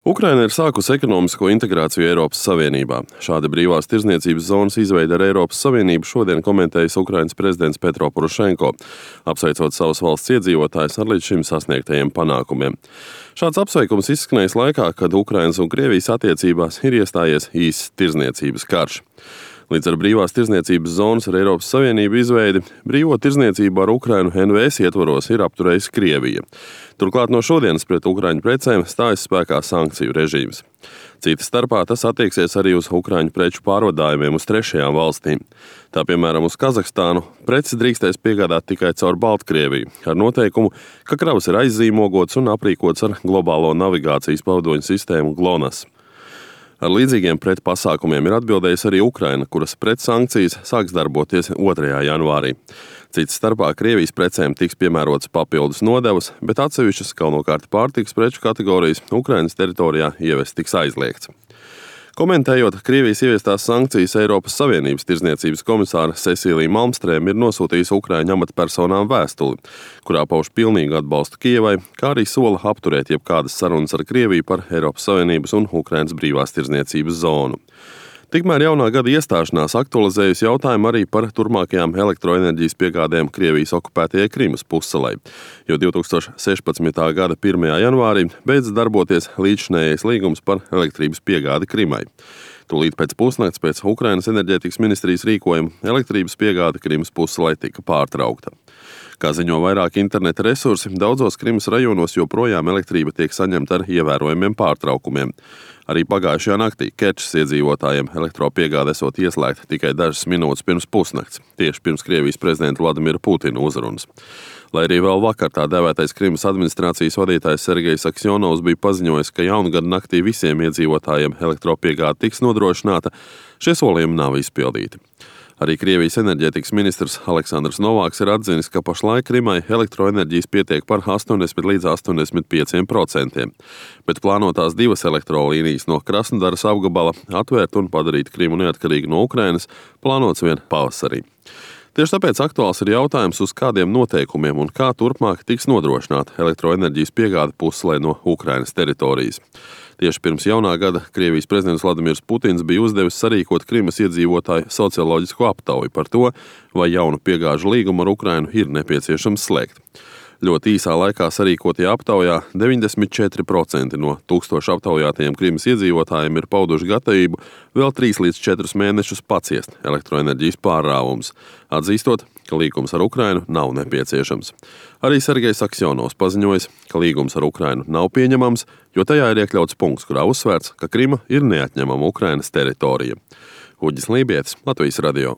Ukraina ir sākusi ekonomisko integrāciju Eiropas Savienībā. Šāda brīvās tirdzniecības zonas izveide ar Eiropas Savienību šodien komentējis Ukrainas prezidents Petro Porošenko, apsveicot savas valsts iedzīvotājus ar līdz šim sasniegtajiem panākumiem. Šāds apsveikums izskanējis laikā, kad Ukrainas un Krievijas attiecībās ir iestājies īsts tirdzniecības karš. Līdz ar brīvās tirdzniecības zonas ar Eiropas Savienību izveidi brīvo tirdzniecību ar Ukrainu NVS ietvaros ir apturējis Krievija. Turklāt no šodienas pret Ukraiņu precēm stājas spēkā sankciju režīms. Cita starpā tas attieksies arī uz Ukraiņu preču pārvadājumiem uz trešajām valstīm. Tā piemēram uz Kazahstānu preces drīkstēs piegādāt tikai caur Baltkrieviju, ar noteikumu, ka kravas ir aizzīmogots un aprīkots ar globālo navigācijas pavadoņu sistēmu GLONASS. Ar līdzīgiem pretpasākumiem ir atbildējusi arī Ukraina, kuras pretsankcijas sāks darboties 2. janvārī. Cits starpā Krievijas precēm tiks piemērotas papildus nodevas, bet atsevišķas galvenokārt pārtikas preču kategorijas Ukrainas teritorijā ievest tiks aizliegts. Komentējot Krievijas ieviestās sankcijas, Eiropas Savienības tirdzniecības komisāra Cecīlija Malmstrēma ir nosūtījusi Ukraiņu amatpersonām vēstuli, kurā pauž pilnīgu atbalstu Kijevai, kā arī sola apturēt jebkādas sarunas ar Krieviju par Eiropas Savienības un Ukrainas brīvās tirdzniecības zonu. Tikmēr jaunā gada iestāšanās aktualizējusi jautājumu arī par turpmākajām elektroenerģijas piegādēm Krievijas okupētajai Krimas pussalai, jo 2016. gada 1. janvārī beidz darboties līdzšinējais līgums par elektrības piegādi Krimai. Tūlīt pēc pusnakts pēc Ukrainas enerģētikas ministrijas rīkojuma elektrības piegāde Krimas pussalai tika pārtraukta. Kā ziņo vairāki interneta resursi, daudzos Krimas rajonos joprojām elektrība tiek saņemta ar ievērojumiem pārtraukumiem. Arī pagājušajā naktī Kerčas iedzīvotājiem elektropiegāde esot ieslēgta tikai dažas minūtes pirms pusnakts, tieši pirms Krievijas prezidenta Vladimira Putina uzrunas. Lai arī vēl vakar tā dēvētais Krimas administrācijas vadītājs Sergejs Aksjonovs bija paziņojis, ka jaungada naktī visiem iedzīvotājiem elektropiegāde tiks nodrošināta, šie solījumi nav izpildīti. Arī Krievijas enerģētikas ministrs Aleksandrs Novāks ir atzinis, ka pašlaik Krimai elektroenerģijas pietiek par 80 līdz 85%, bet plānotās 2 elektrolīnijas no Krasnodaras apgabala atvērt un padarīt Krimu neatkarīgu no Ukrainas plānots vien pavasarī. Tieši tāpēc aktuāls ir jautājums, uz kādiem noteikumiem un kā turpmāk tiks nodrošināta elektroenerģijas piegāde pussalai no Ukrainas teritorijas. Tieši pirms jaunā gada Krievijas prezidents Vladimirs Putins bija uzdevis sarīkot Krimas iedzīvotāju socioloģisku aptauju par to, vai jaunu piegāžu līgumu ar Ukrainu ir nepieciešams slēgt. Ļoti īsā laikā sarīkotajā aptaujā 94% no 1000 aptaujātajiem Krimas iedzīvotājiem ir pauduši gatavību vēl 3 līdz 4 mēnešus paciest elektroenerģijas pārrāvumus, atzīstot, ka līgums ar Ukrainu nav nepieciešams. Arī Sergejs Aksjonovs paziņojis, ka līgums ar Ukrainu nav pieņemams, jo tajā ir iekļauts punkts, kurā uzsvērts, ka Krima ir neatņemama Ukrainas teritorija. Uģis Lībietis, Latvijas radio.